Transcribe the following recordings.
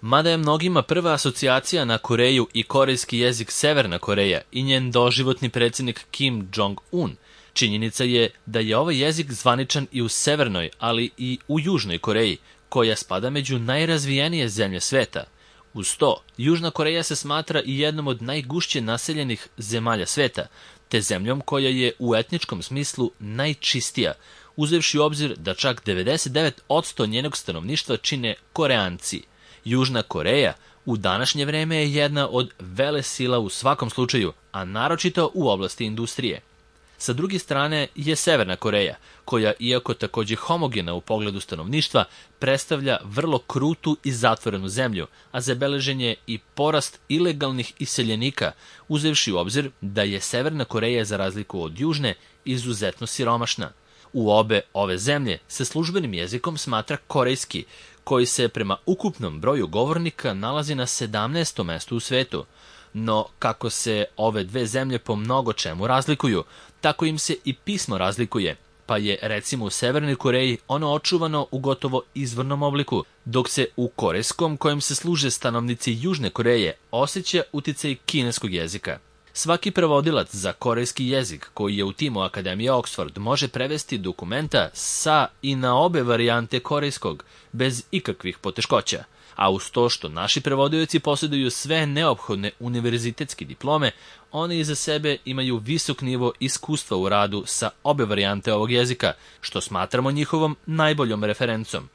Mada je mnogima prva asocijacija na Koreju i korejski jezik Severna Koreja i njen doživotni predsjednik Kim Jong-un, činjenica je da je ovaj jezik zvaničan i u Severnoj, ali i u Južnoj Koreji, koja spada među najrazvijenije zemlje sveta. Uz to, Južna Koreja se smatra i jednom od najgušće naseljenih zemalja sveta, te zemljom koja je u etničkom smislu najčistija, uzevši u obzir da čak 99% njenog stanovništva čine Koreanci. Južna Koreja u današnje vreme je jedna od velesila u svakom slučaju, a naročito u oblasti industrije. Sa druge strane je Severna Koreja, koja, iako takođe homogena u pogledu stanovništva, predstavlja vrlo krutu i zatvorenu zemlju, a zabeležen je i porast ilegalnih iseljenika, uzevši u obzir da je Severna Koreja, za razliku od Južne, izuzetno siromašna. U obe ove zemlje se službenim jezikom smatra korejski, koji se prema ukupnom broju govornika nalazi na 17. mestu u svetu. No, kako se ove dve zemlje po mnogo čemu razlikuju, tako im se i pismo razlikuje, pa je recimo u Severnoj Koreji ono očuvano u gotovo izvornom obliku, dok se u korejskom, kojim se služe stanovnici Južne Koreje, osjeća uticaj kineskog jezika. Svaki prevodilac za korejski jezik koji je u timu Akademije Oxford može prevesti dokumenta sa i na obe varijante korejskog, bez ikakvih poteškoća. A uz to što naši prevodioci posjeduju sve neophodne univerzitetske diplome, oni iza sebe imaju visok nivo iskustva u radu sa obe varijante ovog jezika, što smatramo njihovom najboljom referencom.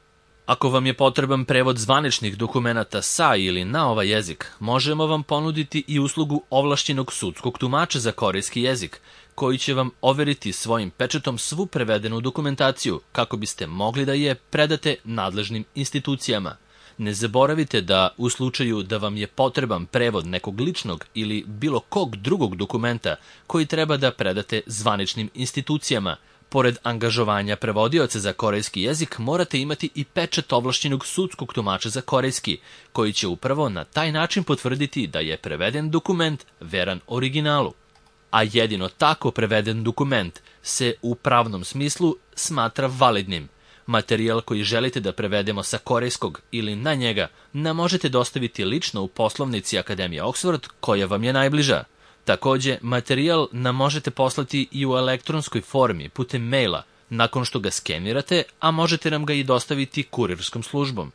Ako vam je potreban prevod zvaničnih dokumenata sa ili na ovaj jezik, možemo vam ponuditi i uslugu ovlašćenog sudskog tumača za korejski jezik, koji će vam overiti svojim pečatom svu prevedenu dokumentaciju kako biste mogli da je predate nadležnim institucijama. Ne zaboravite da u slučaju da vam je potreban prevod nekog ličnog ili bilo kog drugog dokumenta koji treba da predate zvaničnim institucijama, pored angažovanja prevodioca za korejski jezik morate imati i pečat ovlašćenog sudskog tumača za korejski, koji će upravo na taj način potvrditi da je preveden dokument veran originalu. A jedino tako preveden dokument se u pravnom smislu smatra validnim. Materijal koji želite da prevedemo sa korejskog ili na njega nam možete dostaviti lično u poslovnici Akademije Oxford koja vam je najbliža. Takođe, materijal nam možete poslati i u elektronskoj formi putem maila nakon što ga skenirate, a možete nam ga i dostaviti kurirskom službom.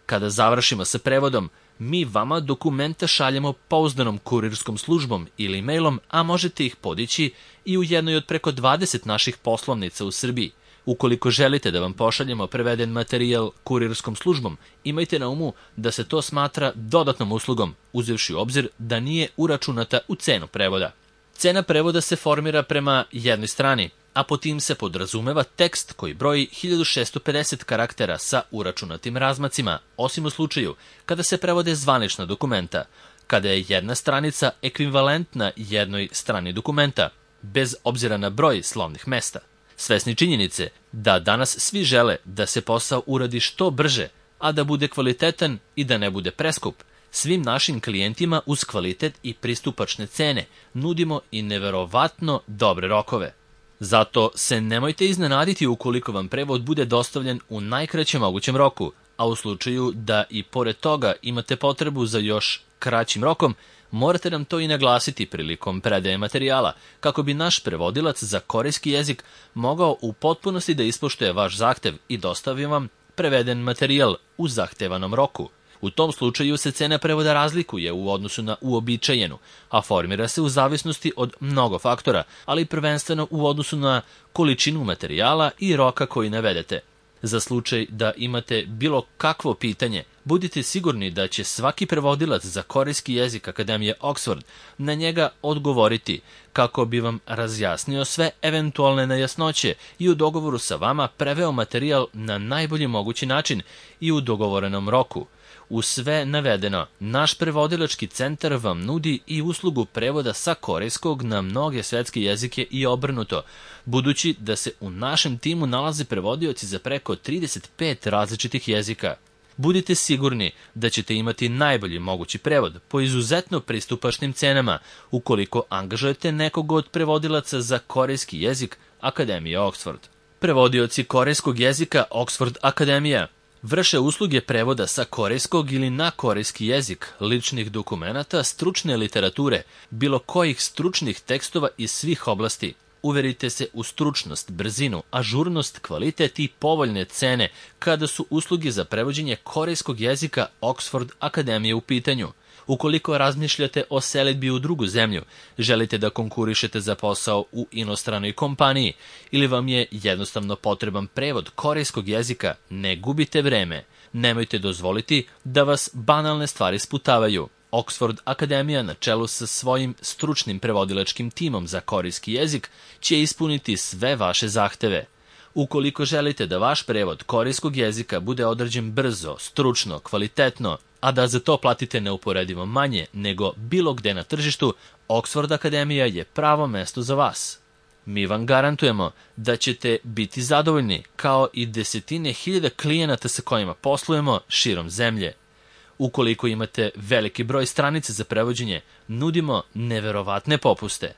Kada završimo sa prevodom, mi vama dokumenta šaljemo pouzdanom kurirskom službom ili mailom, a možete ih podići i u jednoj od preko 20 naših poslovnica u Srbiji. Ukoliko želite da vam pošaljemo preveden materijal kurirskom službom, imajte na umu da se to smatra dodatnom uslugom, uzevši u obzir da nije uračunata u cenu prevoda. Cena prevoda se formira prema jednoj strani, a po tim se podrazumeva tekst koji broji 1650 karaktera sa uračunatim razmacima, osim u slučaju kada se prevode zvanična dokumenta, kada je jedna stranica ekvivalentna jednoj strani dokumenta, bez obzira na broj slovnih mesta. Svesni činjenice da danas svi žele da se posao uradi što brže, a da bude kvalitetan i da ne bude preskup, svim našim klijentima uz kvalitet i pristupačne cene nudimo i neverovatno dobre rokove. Zato se nemojte iznenaditi ukoliko vam prevod bude dostavljen u najkraćem mogućem roku, a u slučaju da i pored toga imate potrebu za još kraćim rokom, morate nam to i naglasiti prilikom predaje materijala, kako bi naš prevodilac za korejski jezik mogao u potpunosti da ispoštuje vaš zahtev i dostavi vam preveden materijal u zahtevanom roku. U tom slučaju se cena prevoda razlikuje u odnosu na uobičajenu, a formira se u zavisnosti od mnogo faktora, ali prvenstveno u odnosu na količinu materijala i roka koji navedete. Za slučaj da imate bilo kakvo pitanje, budite sigurni da će svaki prevodilac za korejski jezik Akademije Oxford na njega odgovoriti, kako bi vam razjasnio sve eventualne nejasnoće i u dogovoru sa vama preveo materijal na najbolji mogući način i u dogovorenom roku. Uz sve navedeno, naš prevodilački centar vam nudi i uslugu prevoda sa korejskog na mnoge svetske jezike i obrnuto, budući da se u našem timu nalaze prevodioci za preko 35 različitih jezika. Budite sigurni da ćete imati najbolji mogući prevod po izuzetno pristupačnim cenama ukoliko angažujete nekog od prevodilaca za korejski jezik Akademije Oxford. Prevodioci korejskog jezika Oxford Akademija. Vrše usluge prevoda sa korejskog ili na korejski jezik, ličnih dokumenata, stručne literature, bilo kojih stručnih tekstova iz svih oblasti. Uverite se u stručnost, brzinu, ažurnost, kvalitet i povoljne cene kada su usluge za prevođenje korejskog jezika Oxford Akademije u pitanju. Ukoliko razmišljate o selidbi u drugu zemlju, želite da konkurišete za posao u inostranoj kompaniji ili vam je jednostavno potreban prevod korejskog jezika, ne gubite vreme. Nemojte dozvoliti da vas banalne stvari sputavaju. Oxford Akademija na čelu sa svojim stručnim prevodilačkim timom za korejski jezik će ispuniti sve vaše zahteve. Ukoliko želite da vaš prevod korejskog jezika bude odrađen brzo, stručno, kvalitetno, a da za to platite neuporedivo manje nego bilo gde na tržištu, Oxford Akademija je pravo mesto za vas. Mi vam garantujemo da ćete biti zadovoljni, kao i desetine hiljada klijenata sa kojima poslujemo širom zemlje. Ukoliko imate veliki broj stranica za prevođenje, nudimo neverovatne popuste.